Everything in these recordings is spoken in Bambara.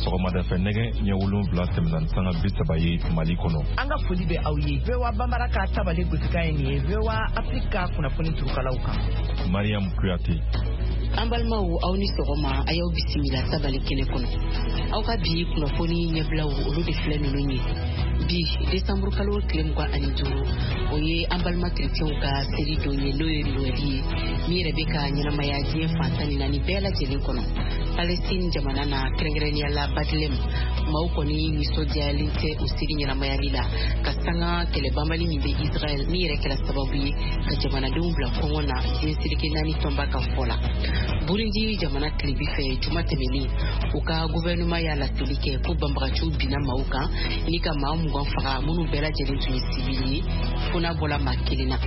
Sɔgɔmada fɛ, nɛgɛ ɲɛ 7 tɛmɛna ni sanga 30 ye Mali kɔnɔ. An ka foli bɛ aw ye. VOA Bambara ka tabale gosikan ye nin ye, VOA Afrique ka kunnafoni turukalaw kan. Mariam Kuyate. An balimaw, aw ni sɔgɔma. A y'aw bisimila tabale kɛnɛ kɔnɔ. Aw ka bi kunnafoni ɲɛbilaw, olu de filɛ ninnu ye. Bi, desanburu kalo tile 25, o ye an balima kerecɛnw ka seli don ye, n'o ye Noɛli ye, min yɛrɛ bɛ ka ɲɛnamaya diɲɛ fan 14 bɛɛ lajɛlen kɔnɔ. Palestine jamana na, kɛrɛnkɛrɛnnenya la Bethlehem, maaw kɔni nisɔndiyalen tɛ o seli ɲɛnamayali la, ka sanga kɛlɛ banbali min bɛ Israɛl, min yɛrɛ kɛra sababu ye ka jamanadenw bila kɔngɔ na, diɲɛ seleke naani tɔnba ka fɔ la. Burundi jamana tilebi fɛ, juma tɛmɛnen, u ka gouvernement y'a laseli kɛ ko banbagaciw binna maaw kan ni ka maa 20 faga, minnu bɛɛ lajɛlen tun ye sivili ye, fo n'a bɔla maa kelen na.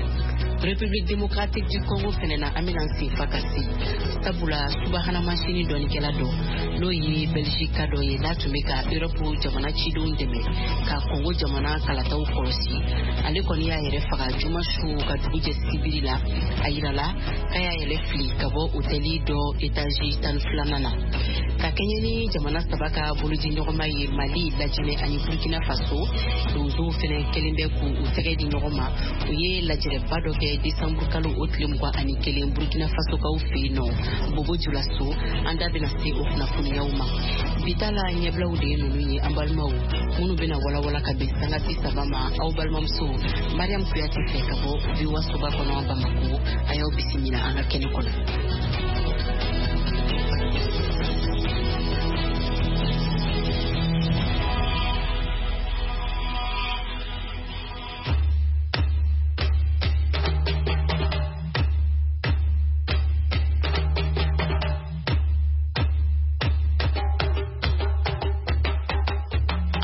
République démocratique du Congo fɛnɛ na, an bɛna sen fa ka se, sabula subahana masini dɔnnikɛla dɔ, n'o ye Belgique dɔ ye, n'a tun bɛ ka Europe jamana cidenw dɛmɛ ka Congo jamana kalataw kɔlɔsi, ale kɔni y'a yɛrɛ faga juma su ka dugu jɛ sibiri la. A yirala k'a y'a yɛrɛ fili ka bɔ otɛli dɔ etazi 12nan na. Ka kɛɲɛ ni jamana saba ka bolodi ɲɔgɔnma ye, Mali, Lajinɛ ani Burkina Faso, donsow fɛnɛ kɛlen bɛ k'u tɛgɛ di ɲɔgɔn ma. U ye lajɛrɛba dɔ kɛ desanburu kalo o tile 21 Burkina Fasokaw fɛ yen nɔ, Bobo Julaso. An da bɛna se o kunnafoniyaw ma. Bi ta la ɲɛbilaw de ye ninnu ye, an balimaw, minnu bɛna walawala ka bɛn sanga 30 ma, aw balimamuso Mariam Kuyate fɛ ka bɔ VOA soba kɔnɔ Bamako. A y'aw bisimila an ka kɛnɛ kɔnɔ.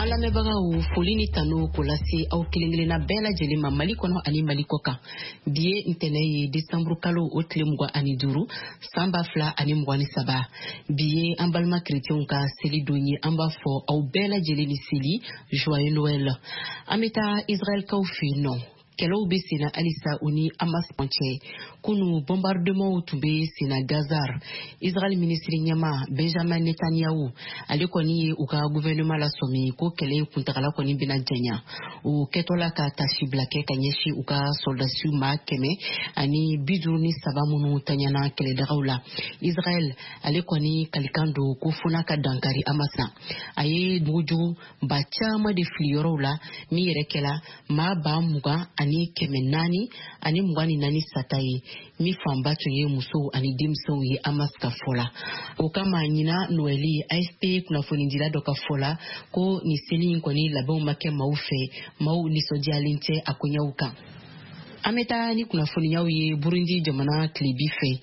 An lamɛnbagaw, foli ni tanu k'o lase aw kelen kelenna bɛɛ lajɛlen ma, Mali kɔnɔ ani Mali kɔ kan. Bi ye ntɛnɛ ye, desanburu kalo o tile 25, san 2023. Bi ye an balima kerecɛnw ka seli don ye. An b'a fɔ aw bɛɛ lajɛlen ni seli, joyeux Noël. An bɛ taa Israɛlkaw fɛ yen nɔ. Kɛlɛw bɛ senna halisa u ni Hamas cɛ. Kunu, bombardement tun bɛ senna Gaza. Israël minisiri ɲɛma Benjamin Netanyahu, ale kɔni ye u ka gouvernement lasɔmi ko kɛlɛ in kuntagala kɔni bɛna janya, o kɛtɔla ka tasibila kɛ ka ɲɛsin u ka sɔrɔdasiw maa 153 minnu taɲana kɛlɛdagaw la. Israël, ale kɔni kalikan don ko fo n'a ka dankari Hamas na. A ye mugujugu ba caman de fili yɔrɔw la, min yɛrɛ kɛla maa 20,424 sata ye, min fanba tun ye musow ani denmisɛnw ye, Hamas ka fɔ la. O kama, ɲina Noɛli, AFP kunnafonidila dɔ ka fɔ la ko nin seli in kɔni labɛnw ma kɛ maaw fɛ, maaw nisɔndiyalen tɛ a koɲɛw kan. An bɛ taa ni kunnafoniyaw ye Burundi jamana tilebi fɛ.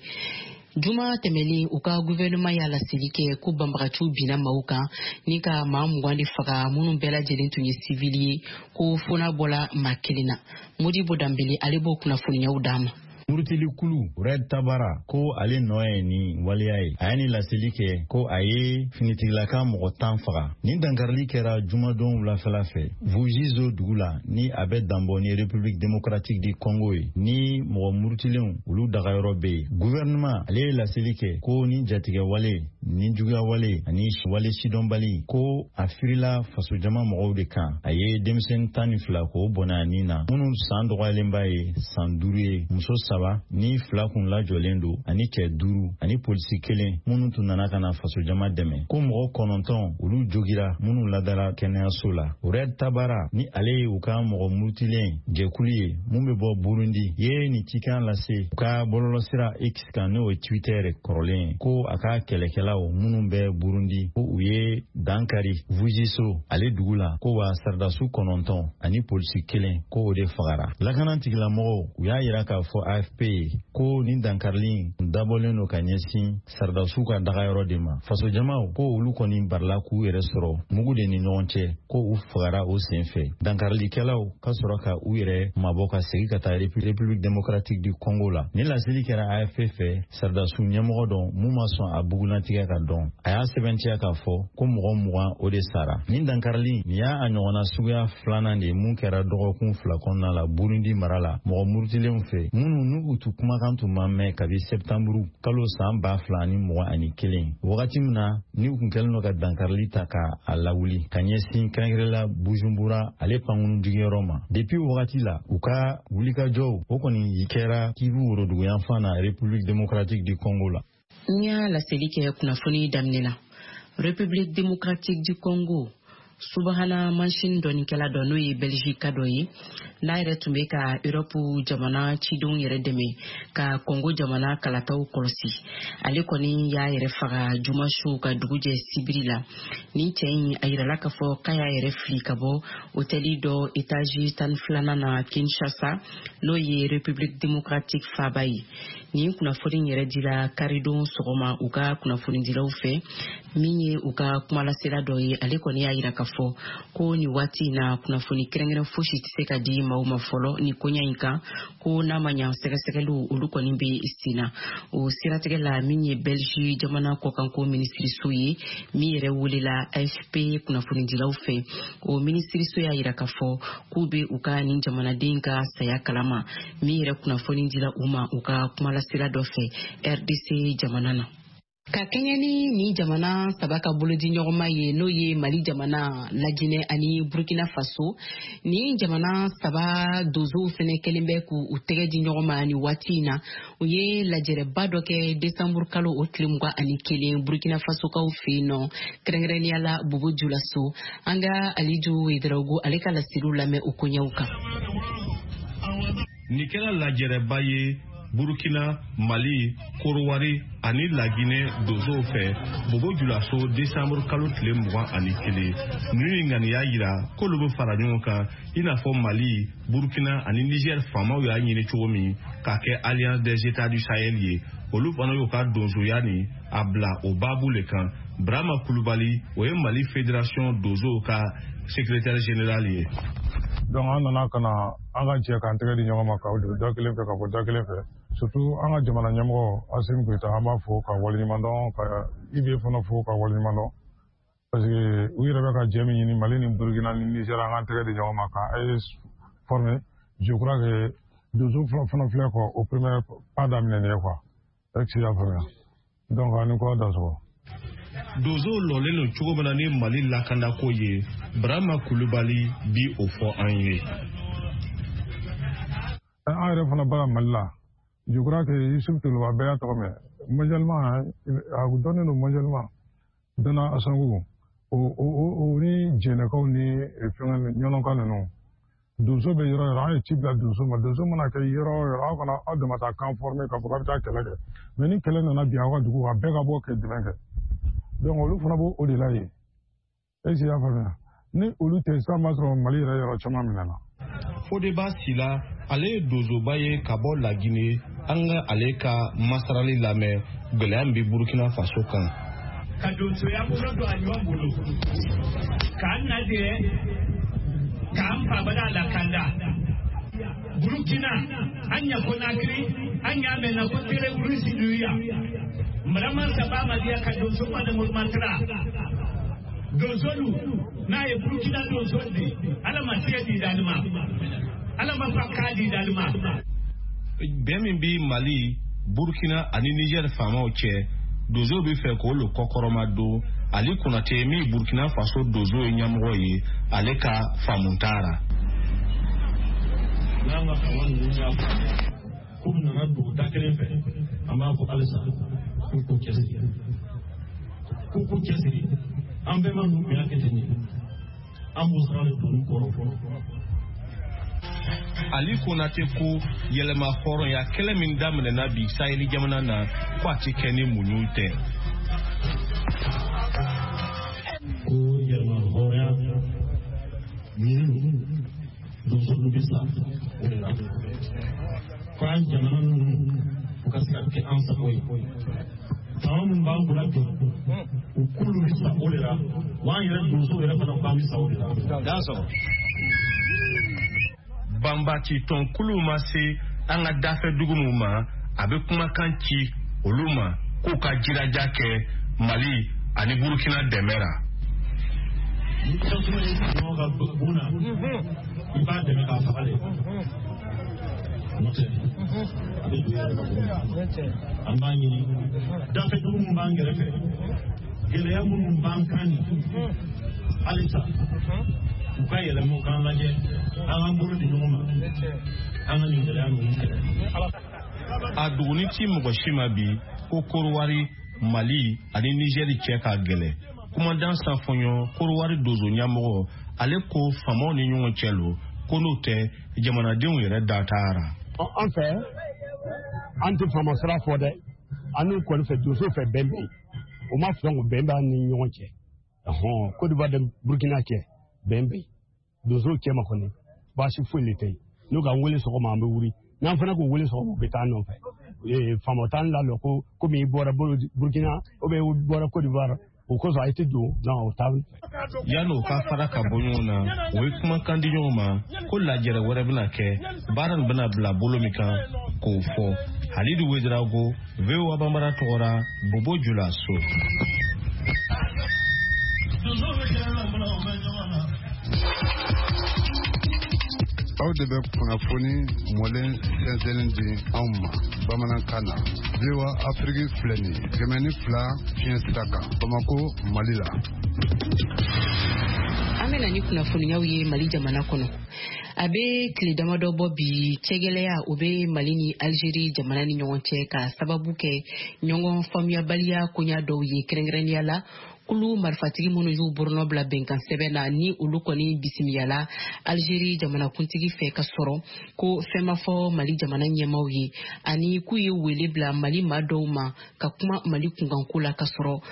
Juma tɛmɛlen, u ka gouvernement y'a laseli kɛ ko banbagaciw binna maaw kan ni ka maa 20 de faga, minnu bɛɛ lajɛlen tun ye sivili ye, ko fo n'a bɔla maa kelen na. Modibo Danbele, ale b'o kunnafoniyaw d'an ma. Murutili kulu Red Tabara ko ale nɔ ye nin waleya ye. A ye nin laseli kɛ ko a ye finitigilaka mɔgɔ 10 faga. Nin dankarili kɛra jumadon wulafɛla fɛ Vugizo dugu la, ni a bɛ danbɔ ni République démocratique du Congo ye, ni mɔgɔ murutilenw olu dagayɔrɔ bɛ yen. Gouvernement, ale ye laseli kɛ ko ni jatigɛ wale ni juguya wale ani wale sidɔnbali, ko a firila fasojama mɔgɔw de kan. A ye denmisɛnnin 12 k'o bɔnɛ a nin na, minnu san dɔgɔyalenba ye san 5 ye, muso saba ni fila kun lajɔlen don, ani cɛ duuru ani polisi kelen minnu tun nana ka na fasojama dɛmɛ, ko mɔgɔ kɔnɔntɔn olu jogira, minnu ladara kɛnɛyaso la. Red Tabara, ni ale ye u ka mɔgɔ murutilen jɛkulu ye mun bɛ bɔ Burundi, ye nin cikan lase u ka bɔlɔlɔsira X kan, n'o ye Twitter kɔrɔlen ye, ko a ka kɛlɛkɛlaw minnu bɛ Burundi, ko u ye dankari Vugizo ale dugu la, ko wa saradasu kɔnɔntɔn ani polisi kelen, ko o de fagara. Lakana tigilamɔgɔw, u y'a yira k'a fɔ AFP ye ko nin dankarili dabɔlen don ka ɲɛsin saradasiw ka dagayɔrɔ de ma. Fasojamaw ko olu kɔni barila k'u yɛrɛ sɔrɔ mugu de ni ɲɔgɔn cɛ, ko u fagara o sen fɛ. Dankarilikɛlaw ka sɔrɔ ka u yɛrɛ mabɔ ka segin ka taa République démocratique du Congo la. Ni laseli kɛra AFP fɛ saradasiw ɲɛmɔgɔ dɔ mun ma sɔn a bugunatigɛ ka dɔn. A y'a sɛbɛntiya k'a fɔ ko mɔgɔ 20 o de sara. Nin dankarili nin y'a a ɲɔgɔnna suguya filanan de ye mun kɛra dɔgɔkun 2 kɔnɔna la Burundi mara la mɔgɔ murutilenw fɛ minnu n'u tun kumakan tun ma mɛn kabi sɛptanburu kalo san 2021 wagati min na ni u kun kɛlen don ka dankarili ta ka a lawuli ka ɲɛsin kɛrɛnkɛrɛnla Bujumbura ale pankurun jigiyɔrɔ ma. Depuis wagati la u ka wulikajɔw o kɔni kɛra Kivu woroduguyanfan na République démocratique du Congo la. N y'a laseli kɛ kunnafoni daminɛ na. République démocratique du Congo, subahana mansin dɔnnikɛla dɔ n'o ye Belgique dɔ ye, n'a yɛrɛ tun bɛ ka Europe jamana cidenw yɛrɛ dɛmɛ ka Congo jamana kalataw kɔlɔsi, ale kɔni y'a yɛrɛ faga juma su ka dugu jɛ sibiri la. Nin cɛ in a yirala k'a fɔ k'a y'a yɛrɛ fili ka bɔ hôteli dɔ étage 12nan na Kinshasa, n'o ye République démocratique faaba ye. Nin kunnafoni yɛrɛ dira karidon sɔgɔma u ka kunnafonidilaw fɛ. Min ye u ka kumalasela dɔ ye, ale kɔni y'a yira k'a fɔ ko nin waati in na kunnafoni kɛrɛnkɛrɛn fosi tɛ se ka di maaw ma fɔlɔ ni koɲɛ in kan, ko n'a ma ɲa sɛgɛsɛgɛliw olu kɔni bɛ sen na. O siratigɛ la, min ye Belgique jamana kɔkanko minisiriso ye, min yɛrɛ welela AFP kunnafonidilaw fɛ, o minisiriso y'a yira k'a fɔ k'u bɛ u ka nin jamanaden ka saya kalama, min yɛrɛ kunnafoni dila u ma u ka kumalasela dɔ fɛ RDC jamana na. Ka kɛɲɛ ni nin jamana saba ka bolodi ɲɔgɔnma ye, n'o ye Mali jamana, Lajinɛ ani Burkina Faso, nin jamana saba donsow fɛnɛ kɛlen bɛ k'u tɛgɛ di ɲɔgɔn ma nin waati in na. U ye lajɛrɛba dɔ kɛ desanburu kalo o tile 21 Burkina Fasokaw fɛ yen nɔ, kɛrɛnkɛrɛnnenya la Bobo Julaso. An ka Aliju Wedarawogo ale ka laseliw lamɛn o koɲɛw kan. Nin kɛra lajɛrɛba ye Burkina, Mali, Korowari ani Laginɛ donsow fɛ Bobo Julaso desanburu kalo tile 21. Ninnu ye ŋaniya yira k'olu bɛ fara ɲɔgɔn kan i n'a fɔ Mali, Burkina ani Niger faamaw y'a ɲini cogo min k'a kɛ Alliance des États du Sahel ye. Olu fana y'u ka donsoya ni a bila o baabu le kan. Brahma Kulubali, o ye Mali Fédération donsow ka secrétaire général ye. Donc an nana ka na an ka jɛ k'an tɛgɛ di ɲɔgɔn ma ka da kelen fɛ ka bɔ da kelen fɛ, surtout an ka jamana ɲɛmɔgɔ Assimi Goïta, an b'a fo ka waleɲuman dɔn, ka IB fana fo ka waleɲuman dɔn, parce que u yɛrɛ bɛ ka jɛ min ɲini Mali ni Burkina ni Niger, an k'an tɛgɛ di ɲɔgɔn ma ka AES former. Je crois que donso fana filɛ quoi, o premier pas daminɛ nin ye quoi, est-ce que i y'a faamuya? Donc an ni kɔ dansɔgɔ. Donsow lɔlen don cogo min na ni Mali lakandako ye, Brahma Kulubali bi o fɔ an ye. An yɛrɛ fana baara Mali la, je crois que Yusuf Toloba, bɛɛ y'a tɔgɔ mɛn mondialement, a dɔnnen don mondialement, Dana Asangu, o ni Jɛnɛkaw ni fɛngɛ ɲɔnɔka ninnu, donso bɛ yɔrɔ yɔrɔ, an ye ci bila donso ma. Donso mana kɛ yɔrɔ o yɔrɔ, aw kana aw dama taa kan former k'a fɔ k'a bɛ taa kɛlɛ kɛ, mais ni kɛlɛ nana bin aw ka dugu kan, bɛɛ ka bɔ kɛ dɛmɛ kɛ. Donc olu fana b'o o de la yen, est-ce que i y'a faamuya? Ni olu tɛ sisan, b'a sɔrɔ Mali yɛrɛ yɔrɔ caman minɛna. Fodeba Sila, ale ye donsoba ye ka bɔ Lagine. An ka ale ka masarali lamɛn gɛlɛya min bɛ Burkina Faso kan. Ka donsoya bolo don a ɲɔgɔn bolo k'an najɛ k'an fabada lakanda Burkina, an ɲa Konakiri, an y'a mɛn na ko tere wurusi duya marama saba madiya ka donso mana murmantara donsolu n'a ye Burkina donso di, Ala ma tigɛ di dalima, Ala ma fa k'a di dalima. Bɛn min bɛ Mali, Burkina ani Niger faamaw cɛ, donsow bɛ fɛ k'o le kɔkɔrɔma don. Ali Konate min Burkina Faso donso ye ɲɛmɔgɔ ye, ale ka faamu t'a la. N'an ka fanga ninnu y'a faamuya k'u nana don da kelen fɛ, an b'a fɔ halisa k'u k'u cɛsiri, k'u k'u cɛsiri. An bɛɛ ma ninnu tun y'a kɛ ten de, an b'o sira de don u kɔrɔ fɔlɔ. Ali Konate ko yɛlɛma hɔrɔnya kɛlɛ min daminɛna bi Saheli jamana na, ko a ti kɛ ni muɲu tɛ. Ko yɛlɛma hɔrɔnya ɲini, donso dun bɛ sa o de la, ko an jamana ninnu u ka se ka kɛ an sago ye. Fanga minnu b'an kunna bi, u k'olu bɛ sa o de la, wa an yɛrɛ donsow yɛrɛ fana k'an bɛ sa o de la. Banbaci tɔnkuluw ma se an ka dafɛ dugu minnu ma, a bɛ kumakan ci olu ma k'u ka jilaja kɛ Mali ani Burukina dɛmɛ ra. Ni tasuma ye sigiɲɔgɔn ka bon na, i b'a dɛmɛ k'a faga de. N'o tɛ, a bɛ don i yɛrɛ ka bon na. An b'a ɲini dafɛ dugu min b'an kɛrɛfɛ, gɛlɛya minnu b'an kan nin, halisa u ka yɛlɛma, u k'an lajɛ, an k'an bolo di ɲɔgɔn ma, an ka nin gɛlɛya ninnu kɛlɛ. A duguni ti mɔgɔ si ma bi ko Korowari, Mali ani Nizɛri cɛ ka gɛlɛ. Kumadan Sanfɔɲɔ, Korowari donso ɲɛmɔgɔ, ale ko faamaw ni ɲɔgɔn cɛ lo, ko n'o tɛ, jamanadenw yɛrɛ da taara. An fɛ, an tɛ faama sira fɔ dɛ. An n'u kɔni fɛ, donso fɛ, bɛn bɛ yen. O ma fɛn ko bɛn b'an ni ɲɔgɔn cɛ. Ɔhɔn, Côte d'Ivoire ni Burkina cɛ, bɛn bɛ yen. Donsow cɛ ma kɔni, baasi foyi de tɛ yen. N'u k'an wele sɔgɔma, an bɛ wuli. N'an fana k'u wele sɔgɔma, u bɛ taa an nɔfɛ. Faama t'an lalɔ ko komi i bɔra Burkina ou bien i bɔra Côte d'Ivoire, o kosɔn a tɛ don, non, o t'an fɛ. Yan'o ka fara ka bɔ ɲɔgɔn na, o ye kumakan di ɲɔgɔn ma ko lajɛrɛ wɛrɛ bɛna kɛ, baara nin bɛna bila bolo min kan, k'o fɔ. Halidu Wedirago, VOA Bambara tɔgɔra, Bobo Julaso. Aw de bɛ kunnafoni mɔlen sɛnsɛnlen di anw ma bamanankan na. VOA Afiriki filɛ nin ye, 102 fiɲɛ sira kan, Bamako, Mali la. An bɛ na ni kunnafoniyaw ye Mali jamana kɔnɔ. A bɛ tile damadɔ bɔ bi, cɛgɛlɛya o bɛ Mali ni Algérie jamana ni ɲɔgɔn cɛ, ka sababu kɛ ɲɔgɔn faamuyabaliya koɲa dɔw ye, kɛrɛnkɛrɛnnenya la kulu marifatigi minnu y'u bolonɔ bila bɛnkan sɛbɛn na, ni olu kɔni bisimiyala Algérie jamanakuntigi fɛ, ka sɔrɔ ko fɛn ma fɔ Mali jamana ɲɛmaw ye, ani k'u ye wele bila Mali maa dɔw ma ka kuma Mali kunkanko la, ka sɔrɔ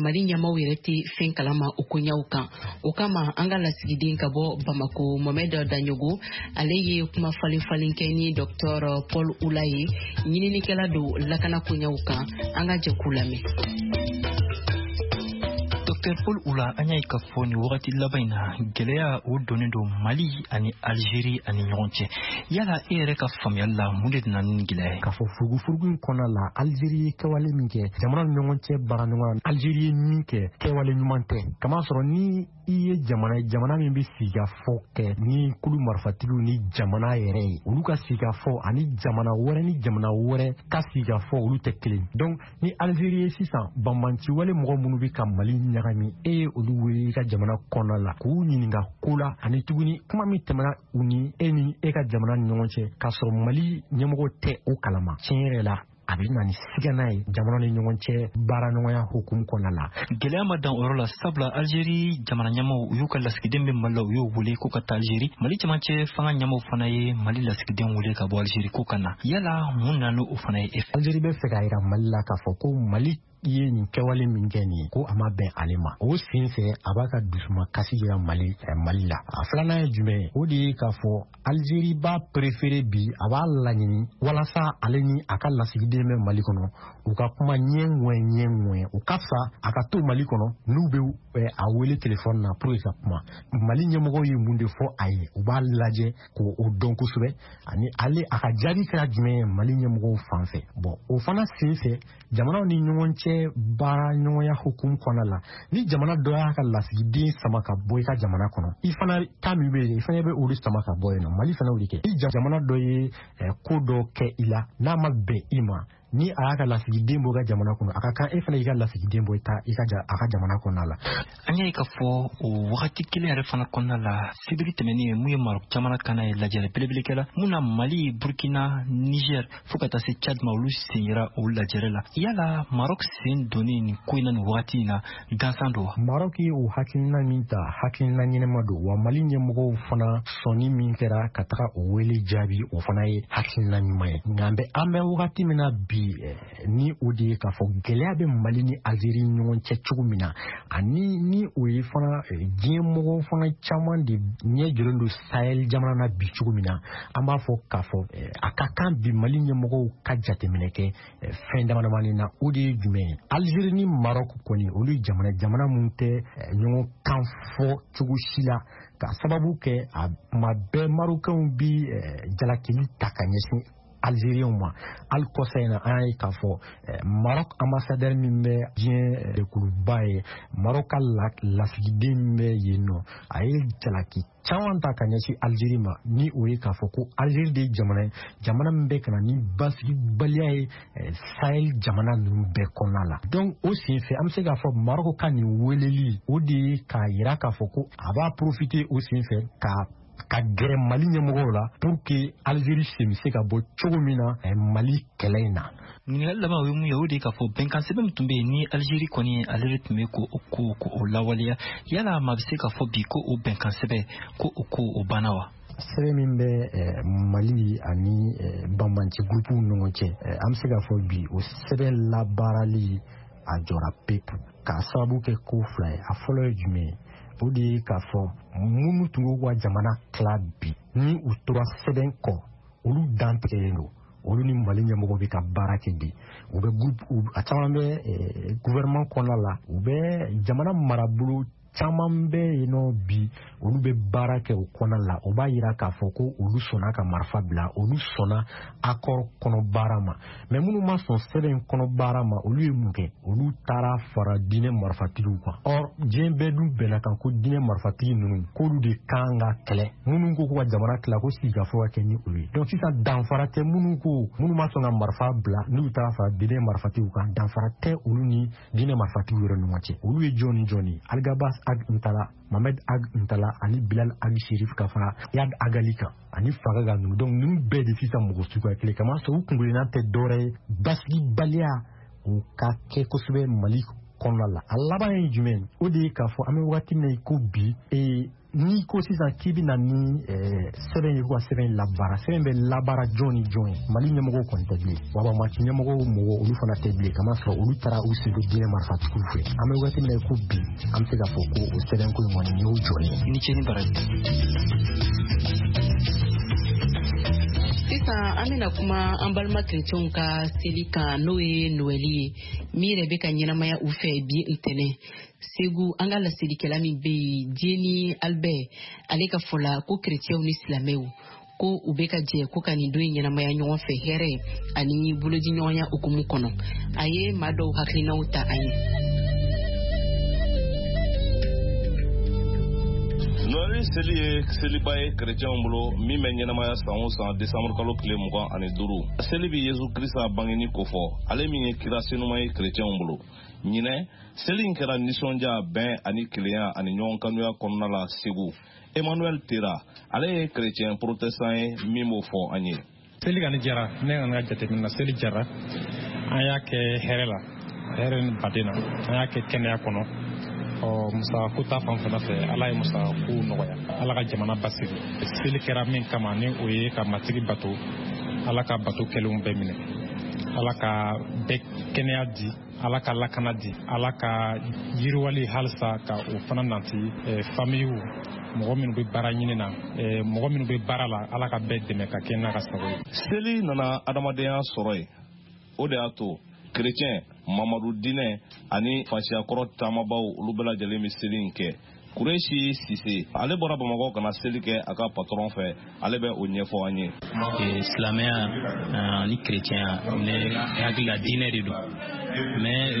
Mali ɲɛmaw yɛrɛ tɛ fɛn kalama o koɲaw kan. O kama, an ka lasigiden ka bɔ Bamako, Mohamed Daɲogo, ale ye kuma falen falen kɛ ni Docteur Paul Oula ye, ɲininikɛla don lakana koɲaw kan. An ka jɛ k'u lamɛn. Dr Paul Oula, an y'a ye k'a fɔ nin wagati laban in na, gɛlɛya o donnen don Mali ani Algérie ani ɲɔgɔn cɛ. Yala e yɛrɛ ka faamuyali la, mun de nana ni gɛlɛya ye? K'a fɔ furugufurugu in kɔnɔna la, Algérie ye kɛwale min kɛ, jamana ni ɲɔgɔn cɛ baara ɲɔgɔn, Algérie ye min kɛ, kɛwale ɲuman tɛ. Kamasɔrɔ ni i ye jamana ye, jamana min bɛ sigikafɔ kɛ ni kulu marifatigiw ni jamana yɛrɛ ye, olu ka sigikafɔ ani jamana wɛrɛ ni jamana wɛrɛ ka sigikafɔ, olu tɛ kelen. Donc ni Algérie ye sisan banbanci wale mɔgɔ minnu bɛ ka Mali ɲagami, e ye olu wele i ka jamana kɔnɔna la k'u ɲininka ko la, ani tuguni kuma min tɛmɛna u ni e ni e ka jamana ni ɲɔgɔn cɛ, k'a sɔrɔ Mali ɲɛmɔgɔ tɛ o kalama, tiɲɛ yɛrɛ la, a bɛ na ni sigana ye jamana ni ɲɔgɔn cɛ baara ɲɔgɔnya hukumu kɔnɔna la. Gɛlɛya ma dan o yɔrɔ la, sabula Algérie jamana ɲɛmaw, u y'u ka lasigiden bɛ Mali la, u y'o wele ko ka taa Algérie. Mali cɛmancɛ fanga ɲɛmaw fana ye Mali lasigiden wele ka bɔ Algérie ko ka na. Yala mun nana n'o fana ye e fɛ? Algérie bɛ fɛ k'a yira Mali la k'a fɔ ko Mali i ye nin kɛwale min kɛ nin ye, ko a ma bɛn ale ma. O sen fɛ, a b'a ka dusuma kasi yira Mali la. A filanan ye jumɛn ye? O de ye k'a fɔ Algérie b'a préféré bi, a b'a laɲini walasa ale ni a ka lasigiden bɛ Mali kɔnɔ, u ka kuma ɲɛ ŋwɛ ɲɛ ŋwɛ. O ka fisa a ka to Mali kɔnɔ, n'u bɛ a wele telefɔni na pour que ka kuma. Mali ɲɛmɔgɔw ye mun de fɔ a ye, u b'a lajɛ k'o dɔn kosɛbɛ, ani ale a ka jaabi kɛra jumɛn ye Mali ɲɛmɔgɔw fan fɛ. Bon, o fana sen fɛ, jamanaw ni ɲɔgɔn cɛ baara ɲɔgɔnya hukumu kɔnɔna la, ni jamana dɔ y'a ka lasigiden sama ka bɔ i ka jamana kɔnɔ, i fana ta min bɛ yen, i fana bɛ olu sama ka bɔ yen nɔ. Mali fana y'o de kɛ. Ni jamana dɔ ye ko dɔ kɛ i la, n'a ma bɛn i ma, ni a y'a ka lasigiden bɔ i ka jamana kɔnɔ, a ka kan e fana y'i ka lasigiden bɔ i ta i ka a ka jamana kɔnɔna la. An y'a ye k'a fɔ o wagati kelen yɛrɛ fana kɔnɔna la, sibiri tɛmɛnen, mun ye Maroc jamana kana ye, lajɛrɛ belebele kɛla mun na Mali, Burkina, Niger, fo ka taa se Tchad ma, olu sen yera o lajɛrɛ la. Yala Maroc sen donnen nin ko in na nin wagati in na, gansan don wa? Maroc ye o hakilina min ta, hakilina ɲɛnama don wa. Mali ɲɛmɔgɔw fana sɔnni min kɛra ka taga o wele jaabi, o fana ye hakilina ɲuman ye. Nka an bɛ wagati min na bi, ni o de ye k'a fɔ gɛlɛya bɛ Mali ni Algérie ɲɔgɔn cɛ cogo min na, ani ni o ye fana diɲɛ mɔgɔw fana caman de ɲɛ jɔlen don Sahel jamana na bi cogo min na, an b'a fɔ k'a fɔ a ka kan bi Mali ɲɛmɔgɔw ka jateminɛ kɛ fɛn dama damani na. O de ye jumɛn ye? Algérie ni Maroc kɔni, olu ye jamana mun tɛ ɲɔgɔn kan fɔ cogo si la, ka sababu kɛ a tuma bɛɛ Marocains bi jalakili ta ka ɲɛsin Algériens ma. Hali kɔsa in na, an y'a ye k'a fɔ Maroc ambassadeur min bɛ diɲɛ jɛkuluba ye, Maroc ka lasigiden min bɛ yen nɔ, a ye jalaki caman ta ka ɲɛsin Algérie ma, ni o ye k'a fɔ ko Algérie de ye jamana ye, jamana min bɛ ka na ni basigibaliya ye Sahel jamana ninnu bɛɛ kɔnɔna la. Donc o senfɛ, an bɛ se k'a fɔ Maroc ka nin weleli, o de ye k'a yira k'a fɔ ko a b'a profiter o senfɛ ka gɛrɛ Mali ɲɛmɔgɔw la pour que Algérie sen bɛ se ka bɔ cogo min na Mali kɛlɛ in na. Ɲininkali laban, o ye mun ye? O de ye k'a fɔ bɛnkan sɛbɛn min tun bɛ yen ni Algérie kɔni ale de tun bɛ ko o lawaleya, yala maa bɛ se k'a fɔ bi ko o bɛnkan sɛbɛn ko o ko o banna wa? Sɛbɛn min bɛ Mali ani banbanci gurupuw ni ɲɔgɔn cɛ, an bɛ se k'a fɔ bi o sɛbɛn labaarali a jɔra pewu, k'a sababu kɛ ko fila ye. A fɔlɔ ye jumɛn ye? O de ye k'a fɔ minnu tun b'u ka jamana tila bi, ni u tora sɛbɛn kɔ, olu dantigɛlen don. Olu ni Mali ɲɛmɔgɔ bɛ ka baara kɛ bi, u bɛ a caman bɛ gouvernement kɔnɔna la, u bɛ jamana marabolo caman bɛ yen nɔ bi, olu bɛ baara kɛ o kɔnɔna la. O b'a yira k'a fɔ ko olu sɔnna ka marifa bila, olu sɔnna accord kɔnɔ baara ma. Mais minnu ma sɔn sɛbɛn kɔnɔ baara ma, olu ye mun kɛ? Olu taara fara diinɛ marifatigiw kan. Or diɲɛ bɛɛ dun bɛnna kan ko diinɛ marifatigi ninnu, k'olu de kan ka kɛlɛ. Minnu ko ka jamana tila, ko sigikafɔ ka kɛ ni olu ye. Donc sisan danfara tɛ minnu ko minnu ma sɔn ka marifa bila, n'u taara fara diinɛ marifatigiw kan, danfara tɛ olu ni diinɛ marifatigiw yɛrɛ ɲɔgɔn cɛ. Olu ye jɔn ni jɔn ye? Alghabass Ag Intalla, Mohamed Ag Intalla ani Bilal Ag Sherif, ka fara Iyad Ag Ghali kan ani Fagaga ninnu. Donc ninnu bɛɛ de sisan mɔgɔ suguya kelen kama sɔrɔ, u kunkelenna tɛ dɔwɛrɛ ye basigibaliya o ka kɛ kosɛbɛ Mali kɔnɔna la. A laban ye jumɛn? O de ye k'a fɔ an bɛ wagati min na i ko bi, n'i ko sisan k'i bɛ na ni sɛbɛn ye, ko ka sɛbɛn labaara, sɛbɛn bɛ labaara jɔn ni jɔn ye? Mali ɲɛmɔgɔw kɔni tɛ bilen, wa banbaanci ɲɛmɔgɔw mɔgɔ olu fana tɛ bilen, kamasɔrɔ olu taara u sen don diinɛ marifatigiw fɛ. An bɛ wagati min na i ko bi, an bɛ se k'a fɔ ko o sɛbɛnko in kɔni y'o jɔlen ye. I ni ce ni baraji. Sisan an bɛna kuma an balima kerecɛnw ka seli kan, n'o ye Noɛli ye, min yɛrɛ bɛ ka ɲɛnamaya u fɛ bi ntɛnɛn Segu. An ka laselikɛla min bɛ yen, Jeni Albert, ale ka fɔ la ko kerecɛnw ni silamɛw ko u bɛ ka jɛ ko ka nin don in ɲɛnamaya ɲɔgɔn fɛ hɛrɛ ani bolodiɲɔgɔnya hukumu kɔnɔ. A ye maa dɔw hakilinaw ta an ye. Noɛli seli ye seliba ye kerecɛnw bolo min bɛ ɲɛnamaya san o san desanburu kalo tile 25. Seli bɛ Yesu Krista bangeni kofɔ, ale min ye kira senuma ye kerecɛnw bolo. Ɲinɛ seli in kɛra nisɔndiya, bɛn ani kelenya ani ɲɔgɔn kanuya kɔnɔna la Segu. Emmanuel Tera, ale ye kerecɛn protestant ye min b'o fɔ an ye. Seli kɔni jara ne kɔni ka jateminɛ na, seli jara. An y'a kɛ hɛrɛ la, hɛrɛ ni baden na, an y'a kɛ kɛnɛya kɔnɔ. Ɔ musakako ta fan fana fɛ, Ala ye musakako nɔgɔya, Ala ka jamana basigi. Seli kɛra min kama, ni o ye ka Matigi bato, Ala ka bato kɛlenw bɛɛ minɛ, Ala ka bɛɛ kɛnɛya di, Ala ka lakana di, Ala ka yiriwali halisa ka o fana nati famiyiw, mɔgɔ minnu bɛ baara ɲini na, mɔgɔ minnu bɛ baara la, Ala ka bɛɛ dɛmɛ ka kɛ n'a ka sago ye. Seli nana adamadenya sɔrɔ yen, o de y'a to kerecɛn, Mamadu diinɛ ani fasiyakɔrɔ taamabaw, olu bɛɛ lajɛlen bɛ seli in kɛ. Kuresi Sise, ale bɔra Bamakɔ ka na seli kɛ a ka patɔrɔn fɛ, ale bɛ o ɲɛfɔ an ye. Silamɛya ani kerecɛnya, ne hakili la, diinɛ de don, mais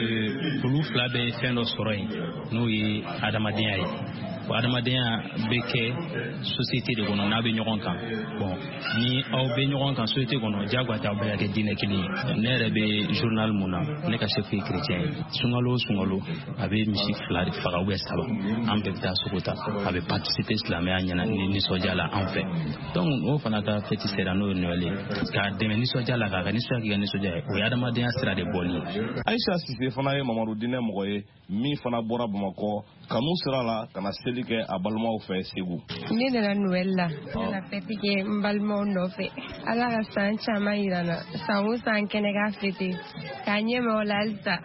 olu fila bɛ fɛn dɔ sɔrɔ yen, n'o ye adamadenya ye. O adamadenya bɛ kɛ société de kɔnɔ n'a bɛ ɲɔgɔn kan. Bon, ni aw bɛ ɲɔgɔn kan société kɔnɔ, diyagoya tɛ aw bɛɛ ka kɛ diinɛ kelen ye. Ne yɛrɛ bɛ journal mun na, ne ka chef ye chrétien ye. Sunkalo o sunkalo, a bɛ misi fila de faga ou bien saba, an bɛɛ bɛ taa sogo ta, a bɛ participer silamɛya ɲɛna ni nisɔndiya la an fɛ. Donc o fana ka fête sera, n'o ye Noël ye, k'a dɛmɛ nisɔndiya la, k'a ka nisɔndiya k'i ka nisɔndiya ye, o ye adamadenya sira de bɔli ye. Ayisa Sise fana ye Mamadu diinɛ mɔgɔ ye min fana bɔra Bamakɔ kanu sira la ka na seli kɛ a balimaw fɛ Segu. Ne nana Noël la, ne nana fête kɛ n balimaw nɔfɛ. Ala ka san caman yira n na, san o san kɛnɛ ka fêter k'a ɲɛma o la halisa.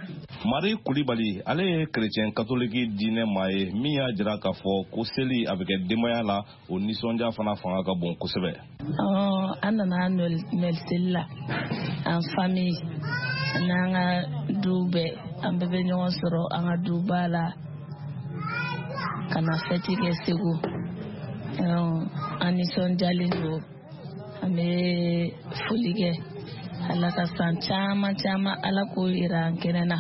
Mari Kulibali, ale ye kerecɛn katoliki diinɛ maa ye min y'a jira k'a fɔ ko seli a bɛ kɛ denbaya la, o nisɔndiya fana fanga ka bon kosɛbɛ. An nana Noël seli la en famille, n'an ka du bɛɛ, an bɛɛ bɛ ɲɔgɔn sɔrɔ an ka duba la ka na fête kɛ Segu. An nisɔndiyalen don. An bɛ foli kɛ. Ala ka san caman caman Ala k'o yira an kɛnɛ na.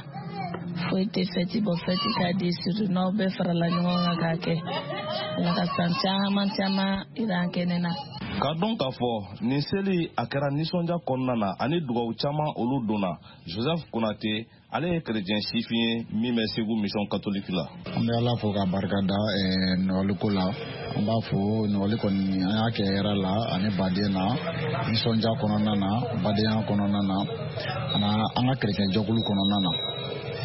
Foyi tɛ fɛti bɔ, fɛti ka di, surtout n'aw bɛɛ farala ɲɔgɔn kan k'a kɛ. Ala ka san caman caman yira an kɛnɛ na. K'a dɔn k'a fɔ nin seli a kɛra nisɔndiya kɔnɔna na ani dugawu caman olu donna. Joseph Konate, ale ye kerecɛn sifin ye min bɛ Segu mission catholique la. An bɛ Ala fo ka barika da Nɔgɔli ko la. An b'a fo Nɔgɔli kɔni an y'a kɛ hɛrɛ la ani baden na, nisɔndiya kɔnɔna na, badenya kɔnɔna na, ani an ka kerecɛn jɛkulu kɔnɔna na.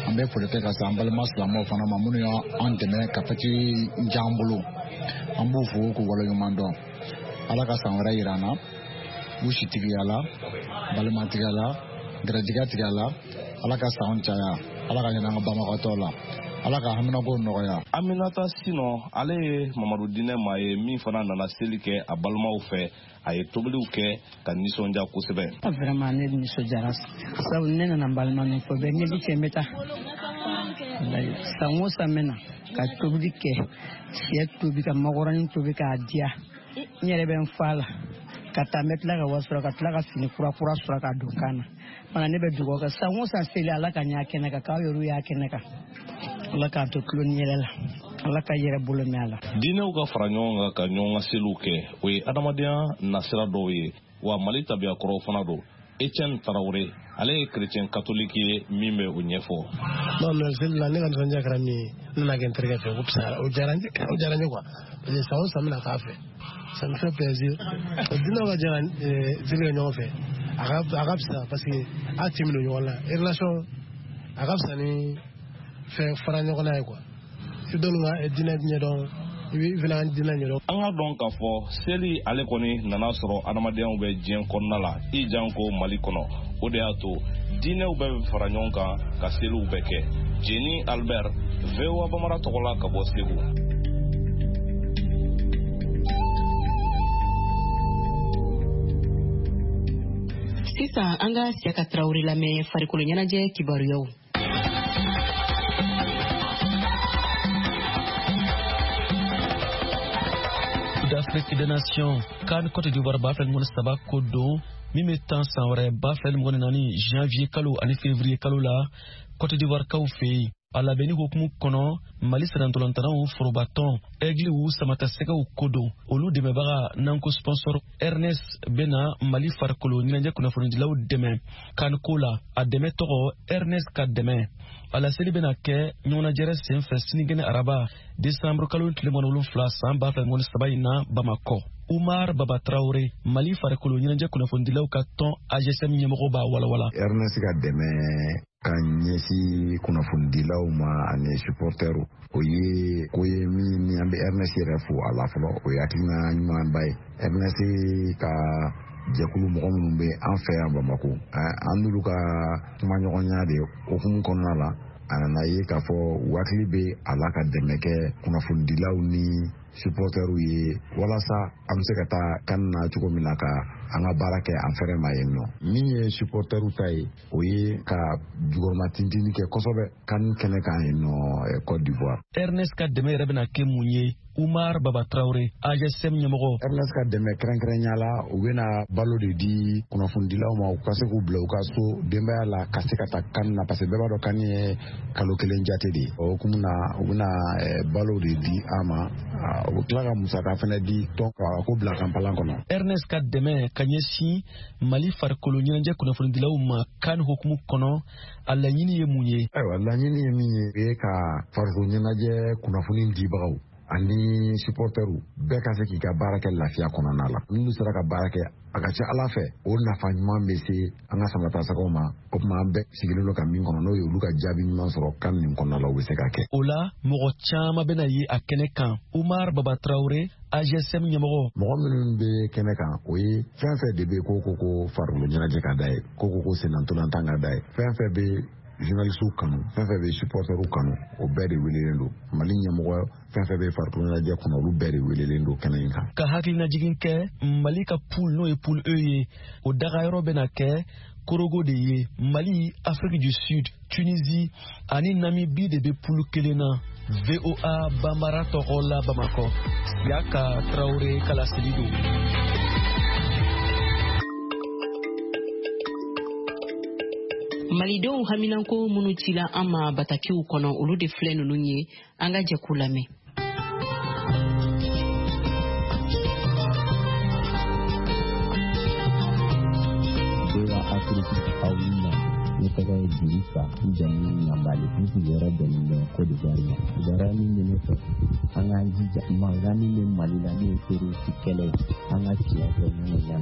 An bɛ foli kɛ ka se an balima silamɛw fana ma minnu y'an dɛmɛ ka fɛti diya an bolo. An b'u fo k'u waleɲuman dɔn. Ala ka san wɛrɛ yira an na, u sitigiya la, balimatigiya la, gɛrɛjigɛ tigiya la. Ala ka sanw caya, Ala ka ɲinɛ an ka banbagatɔw la, Ala ka haminako nɔgɔya. Aminata Sinɔ, ale ye Mamadu Dinɛ maa ye min fana nana seli kɛ a balimaw fɛ. A ye tobiliw kɛ ka nisɔndiya kosɛbɛ. Vraiment ne nisɔndiyara sabu ne nana n balima nɔfɛ bɛɛ ne bɛ cɛ n bɛ taa san o san n bɛ na ka tobili kɛ, sɛ tobi ka makɔrɔni tobi k'a diya. N yɛrɛ bɛ n fa la ka taa, n bɛ tila ka wari sɔrɔ ka tila ka fini kura kura sɔrɔ ka don kan na. Fana ne bɛ dugawu kɛ san o san seli Ala ka ɲɛ kɛnɛ kan, k'aw yɛrɛw y'a kɛnɛ kan. Ala k'an to tulo ni yɛlɛ la, Ala ka yɛrɛ bolo mɛn a la. Diinɛw ka fara ɲɔgɔn kan ka ɲɔgɔn ka seliw kɛ, o ye adamadenya nasira dɔw ye, wa Mali tabiya kɔrɔw fana don. Etienne Tarawele, ale ye chrétien catholique ye min bɛ o ɲɛfɔ. Non, mais seli la ne ka nisɔndiya kɛra min ye, ne nana kɛ n terikɛ fɛ, o fisayara, o diyara n ye quoi. Parce que san o san n bɛna k'a fɛ, ça me fait plaisir. Diinɛw ka jɛ ka seli kɛ ɲɔgɔn fɛ, a ka fisa parce que a tin bɛ don ɲɔgɔn na. Relation a ka fisa ni fɛn fara ɲɔgɔn na ye quoi. I bɛ dɔw ka diinɛ ɲɛdɔn, i bɛ fana diinɛ ɲɛdɔn. An ka dɔn k'a fɔ seli ale kɔni nana sɔrɔ adamadenya bɛ diɲɛ kɔnɔna la, i janko Mali kɔnɔ. O de y'a to diinɛw bɛɛ bɛ fara ɲɔgɔn kan ka seliw bɛɛ kɛ. Jeni Albert, VOA Bamara tɔgɔ la ka bɔ Segu. Sisan an ka Siyaka Tarawele lamɛn farikolo ɲɛnajɛ kibaruyaw. D'Afrique des Nations, CAN Côte d'Ivoire 2023 ko don min bɛ tan san wɛrɛ 2024 janvier kalo ani février kalo la Côte d'Ivoire kaw fɛ yen. A labɛnni hukumu kɔnɔ, Mali sirantolantanaw forobatɔn Aigliw Samatasɛgɛw ko don, olu dɛmɛbaga n'an ko sponsor Ernest bɛna Mali farikolo ɲɛnajɛ kunnafonidilaw dɛmɛ CAN ko la. A dɛmɛ tɔgɔ Ernest ka dɛmɛ. A laseli bɛna kɛ ɲɔgɔnnajɛrɛ senfɛ sinikɛnɛ araba décembre kalo tile 27 san 2023 in na Bamakɔ. Umar Baba Traore, Mali farikolo ɲɛnajɛ kunnafonidilaw ka tɔn AGSM ɲɛmɔgɔ b'a walawala. Ernest ka dɛmɛ ka ɲɛsin kunnafonidilaw ma ani supportɛrw, o ye ko ye min ni an bɛ Ernest yɛrɛ fo a la fɔlɔ, o ye hakilina ɲumanba ye. Ernest ka jɛkulu mɔgɔ minnu bɛ an fɛ yan Bamakɔ, an n'olu ka kumaɲɔgɔnya de hukumu kɔnɔna la, a nana ye k'a fɔ u hakili bɛ a la ka dɛmɛ kɛ kunnafonidilaw ni supportɛrw ye walasa an bɛ se ka taa kan na cogo min na ka an ka baara kɛ an fɛrɛ ma yen nɔ. Min ye supportɛrw ta ye, o ye ka jukɔrɔma tintini kɛ kosɛbɛ kan kɛnɛ kan yen nɔ Côte d'Ivoire. Ernest ka dɛmɛ yɛrɛ bɛna kɛ mun ye? Umar Baba Traore, AGSM ɲɛmɔgɔ. Ernest ka dɛmɛ kɛrɛnkɛrɛnya la, u bɛna balo de di kunnafonidilaw ma u ka se k'u bila u ka so denbaya la ka se ka taa kan na, parce que bɛɛ b'a dɔn kan ye kalo kelen jate de ye. O hukumu na, u bɛna balo de di an ma, u bɛ tila ka musaka fana di tɔn ka ko bila kanpalan kɔnɔ. Ernest ka dɛmɛ ka ɲɛsin Mali farikolo ɲɛnajɛ kunnafonidilaw ma kan hukumu kɔnɔ, a laɲini ye mun ye? Ayiwa, laɲini ye min ye, o ye ka farikolo ɲɛnajɛ kunnafoni dibagaw ani supportɛrw bɛɛ ka se k'i ka baara kɛ lafiya kɔnɔna la. N'olu sera ka baara kɛ, a ka ca Ala fɛ o nafa ɲuman bɛ se an ka samatasɛgɛw ma. O tuma an bɛɛ sigilen don ka min kɔnɔ, n'o ye olu ka jaabi ɲuman sɔrɔ kan nin kɔnɔna la, u bɛ se ka kɛ. O la mɔgɔ caman bɛna ye a kɛnɛ kan. Umar Baba Traore, AGSM ɲɛmɔgɔ. Mɔgɔ minnu bɛ kɛnɛ kan, o ye fɛn fɛn de bɛ ko ko farikolo ɲɛnajɛ ka da ye, ko sennantolantan ka da ye, fɛn fɛn bɛ journalistew kanu, fɛn fɛn bɛ supporterw kanu, o bɛɛ de welelen don. Mali ɲɛmɔgɔ fɛn fɛn bɛ farikolo ɲɛnajɛ kɔnɔ, olu bɛɛ de welelen don kɛnɛ in kan. Ka hakilinajigin kɛ, Mali ka poule n'o ye poule E ye, o dagayɔrɔ bɛna kɛ Korogo de ye. Mali, Afrique du Sud, Tunisie ani Namibie de bɛ poule kelen na. VOA Bambara tɔgɔ la Bamakɔ, Siyaka Traore ka laseli don. Malidenw haminanko minnu cila an ma batakiw kɔnɔ, olu de filɛ ninnu ye, an ka jɛ k'u lamɛn. VOA Afrique, aw ni ɲa. Ne tɔgɔ ye Dirisa, n jamu ye Ɲanbali, n sigiyɔrɔ bɛnnen bɛ Côte d'Ivoire ma. Kibaruya min bɛ ne fɛ, an k'an jija mankan min bɛ Mali la n'o ye terroriste kɛlɛ ye, an ka tiɲɛ fɔ ɲɔgɔn ɲɛ,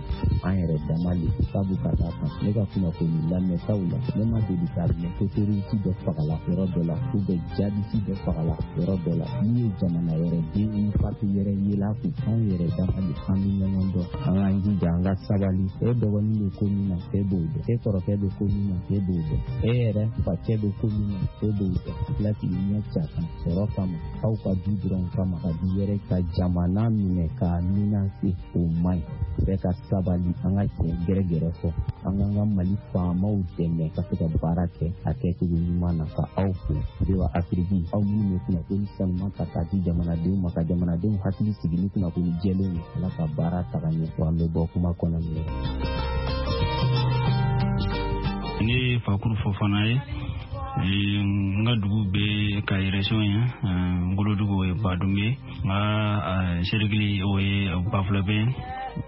an yɛrɛ dama le sabu ka d'a kan ne ka kunnafoni lamɛntaw la, ne ma deli k'a mɛn ko terroriste dɔ fagala yɔrɔ dɔ la ou bien jihadiste dɔ fagala yɔrɔ dɔ la min ye jamana wɛrɛ den ni parti wɛrɛ yela kun. Anw yɛrɛ dama le, an bɛ ɲɔgɔn dɔn, an k'an jija, an ka sabali. E dɔgɔnin bɛ ko min na, e b'o dɔn. E kɔrɔkɛ bɛ ko min na, e b'o dɔn. E yɛrɛ facɛ bɛ ko min na, e b'o dɔn. Tila k'i ɲɛ ca kan sɔrɔ kama, aw ka du dɔrɔn kama, ka du wɛrɛ ka jamana minɛ k'a menacer, o man ɲi. Bɛɛ ka sabali, an ka tiɲɛ gɛrɛgɛrɛ fɔ, an k'an ka Mali faamaw dɛmɛ ka se ka baara kɛ a kɛcogo ɲuman na. Ka aw fo VOA Afrique, aw minnu bɛ kunnafoni sanuman ta k'a di jamanadenw ma, ka jamanadenw hakili sigi ni kunnafoni jɛlenw ye. Ala ka baara taga ɲɛ, wa an bɛ bɔ kuma kɔnɔ nin ye. Ne ye Fakuru Fofana ye, n ka dugu bɛ Kayi région ye, n wolodugu o ye Badumbe ye, n ka cercle o ye Bafulabɛ,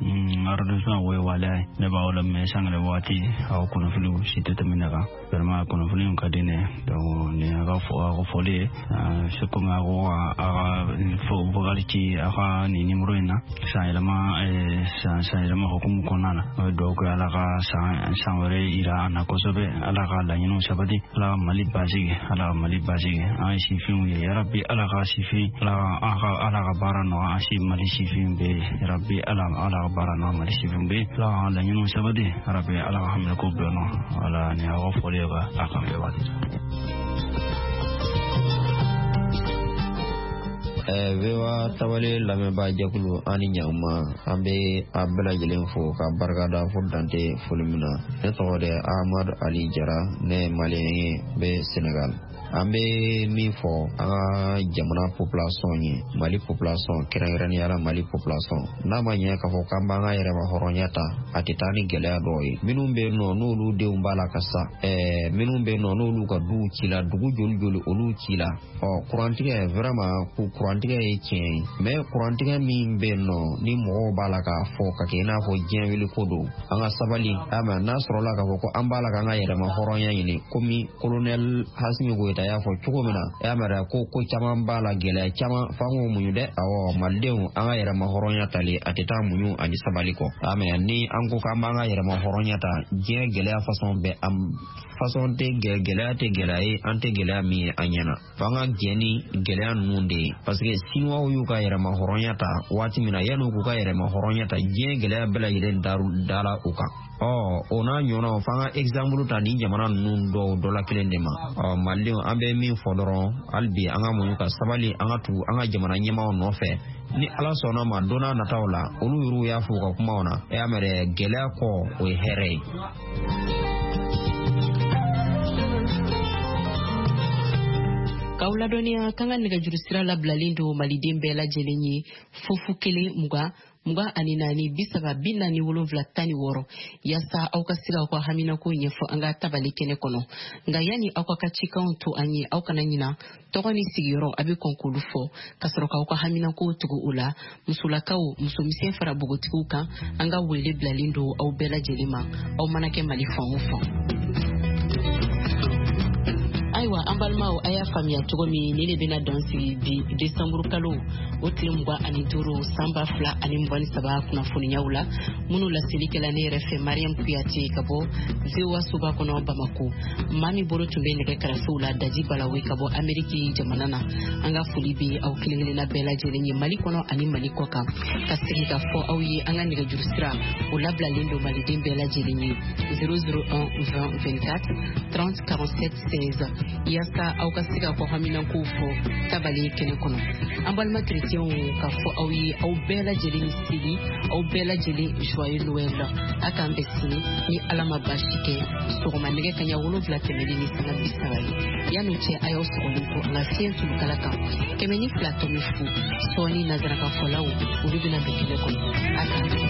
n ka arrondissement o ye Waleya ye. Ne b'aw lamɛn sanga ni waati, aw kunnafoniw si tɛ tɛmɛ ne kan. Vraiment kunnafoniw ka di ne ye, donc nin y'aw ka fɔli ye. C'est comme aw ko a ka vocal ci aw ka nin numéro in na, san yɛlɛma san yɛlɛma hukumu kɔnɔna na. An bɛ dugawu kɛ Ala ka san wɛrɛ yira an na kosɛbɛ, Ala ka laɲiniw sabati, Ala ka Mali basigi, Ala ka Mali basigi. An ye sifinw ye, yarabi Ala ka sifin, Ala ka baara nɔgɔya an si Mali sifin bɛɛ ye, yarabi Ala ka baara nɔgɔya Mali sifin bɛɛ ye, Ala ka laɲiniw sabati, yarabi Ala ka haminako bɛɛ nɔ. Wala nin y'aw ka fɔli ye ka a kan bɛɛ waati. VOA tabale lamɛnbaa jɛkulu, an ni ɲankuma, an bɛ a bɛɛ lajɛlen fo ka barika da fo dante foli min na. Ne tɔgɔ de Ahmadu Ali Jara, ne ye maliyɛn ye, bɛ Senegal. An bɛ min fɔ an ka jamana population ye, Mali population, kɛrɛnkɛrɛnnenya la Mali population, n'a ma ɲɛ k'a fɔ k'an b'an ka yɛrɛma hɔrɔnya ta, a tɛ taa ni gɛlɛya dɔw ye. Minnu bɛ yen nɔ n'olu denw b'a la ka sa, minnu bɛ yen nɔ n'olu ka duw ci la, dugu joli joli olu ci la. Ɔ kurantigɛ, vraiment kurantigɛ ye tiɲɛ ye, mais kurantigɛ min bɛ yen nɔ ni mɔgɔw b'a la k'a fɔ ka kɛ i n'a fɔ diɲɛ wuli ko don, an ka sabali. Ama n'a sɔrɔla k'a fɔ ko an b'a la k'an ka yɛrɛma hɔrɔnya ɲini, komi colonel Assimi Goïta y'a fɔ cogo min na, e y'a mɛn ko ko caman b'a la, gɛlɛya caman, f'an k'o muɲu dɛ. Awɔ, malidenw, an ka yɛrɛma hɔrɔnya tali a tɛ taa muɲu ani sabali kɔ. Ama ni an ko k'an b'an ka yɛrɛma hɔrɔnya ta, diɲɛ gɛlɛya façon bɛɛ, an façon tɛ gɛlɛya tɛ gɛlɛya ye, an tɛ gɛlɛya min ye an ɲɛna, f'an ka jɛ ni gɛlɛya ninnu de ye. Parce que Siniwaw y'u ka yɛrɛma hɔrɔnya ta waati min na, yan'u k'u ka yɛrɛma hɔrɔnya ta, diɲɛ gɛlɛya bɛɛ lajɛlen dara u kan. Ɔ o n'a ɲɔgɔnnaw, f'an ka exemple ta nin jamana ninnu dɔw dɔ la kelen de ma. Ɔ malidenw, an bɛ min fɔ dɔrɔn, hali bi an ka muɲu ka sabali, an ka tugu an ka jamana ɲɛmaaw nɔfɛ. Ni Ala sɔnna ma, don n'a nataw la, olu yɛrɛw y'a fɔ u ka kumaw na, e y'a mɛn dɛ, gɛlɛya kɔ o ye hɛrɛ ye. K'aw ladɔnniya k'an ka nɛgɛjuru sira labilalen don maliden bɛɛ lajɛlen ye, 0 0 20 24 30 47 16, yaasa aw ka se k'aw ka haminako ɲɛfɔ an ka tabali kɛnɛ kɔnɔ. Nka yanni aw ka cikanw to an ye, aw kana ɲina tɔgɔ ni sigiyɔrɔ, a bɛ kɔn k'olu fɔ ka sɔrɔ k'aw ka haminako tugu o la. Musolakaw, musomisɛn fara npogotigiw kan, an ka wele bilalen don aw bɛɛ lajɛlen ma, aw mana kɛ Mali fan o fan. Ayiwa an balimaw, a y'a faamuya cogo min, ni ne bɛna dan sigi bi desanburu kalo o tile 25 san 2023 kunnafoniyaw la, minnu laseli kɛla ne yɛrɛ fɛ Mariam Kuyate ka bɔ VOA soba kɔnɔ Bamako. Maa min bolo tun bɛ nɛgɛ karafew la, Daji Balawe ka bɔ Ameriki jamana na. An ka foli bɛ aw kelen kelenna bɛɛ lajɛlen ye Mali kɔnɔ ani Mali kɔ kan. Ka segin ka fɔ aw ye, an ka nɛgɛjuru sira o labilalen don maliden bɛɛ lajɛlen ye, 001 20 24 30 47 16, yaasa aw ka se ka kɔ haminankow fɔ tabale kɛnɛ kɔnɔ. An balima kerecɛnw, ka fɔ aw ye aw bɛɛ lajɛlen ni seli, aw bɛɛ lajɛlen joyeux Noël. A k'an bɛn sini ni Ala ma baasi kɛ, sɔgɔma nɛgɛ kaɲa 7 tɛmɛnen ni sanga 30 ye. Yan'o cɛ, a y'aw sɔgɔlen to an ka fiɲɛ tulukala kan 102.0. Sɔɔni nanzarakanfɔlaw olu bɛna don kɛnɛ kɔnɔ. A k'an bɛn.